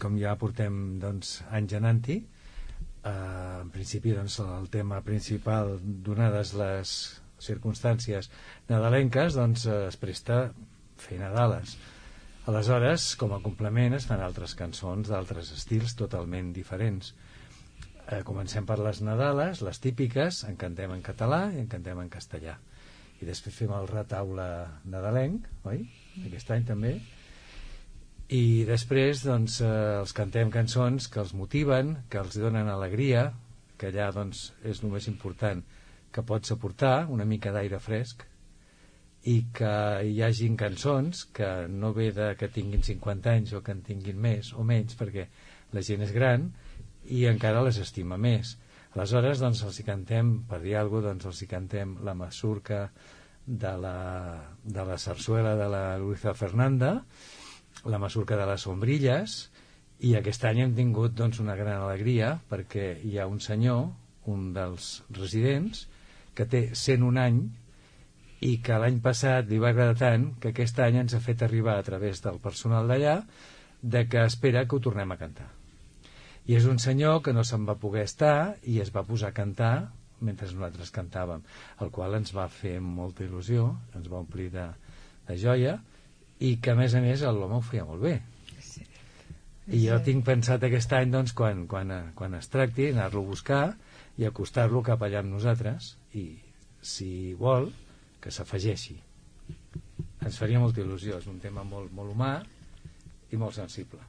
com ja portem anys anant-hi, en principi el tema principal, donades les circumstàncies nadalenques, es presta a fer Nadales. Aleshores, com a complement, es fan altres cançons d'altres estils totalment diferents. Comencem per les Nadales, les típiques, en cantem en català i en cantem en castellà. I després fem el retaule nadalenc, oi? Aquest any també. I després els cantem cançons que els motiven, que els donen alegria, que allà és el més important, que pots aportar una mica d'aire fresc, i que hi hagin cançons que no ve que tinguin 50 anys o que en tinguin més o menys, perquè la gent és gran i encara les estima més. Aleshores els hi cantem, per dir alguna cosa, els hi cantem la masurca de la sarsuela de la Luisa Fernanda, la masurca de les sombrilles, i aquest any hem tingut una gran alegria perquè hi ha un senyor, un dels residents, que té 101 anys i que l'any passat li va agradar tant que aquest any ens ha fet arribar a través del personal d'allà que espera que ho tornem a cantar. I és un senyor que no se'n va poder estar i es va posar a cantar mentre nosaltres cantàvem, el qual ens va fer molta il·lusió, ens va omplir de joia, i que a més l'home ho feia molt bé. Sí. I jo tinc pensat aquest any quan es tracti anar-lo a buscar i acostar-lo cap allà amb nosaltres, i si vol que s'afegeixi. Ens faria molta il·lusió, és un tema molt, molt humà i molt sensible.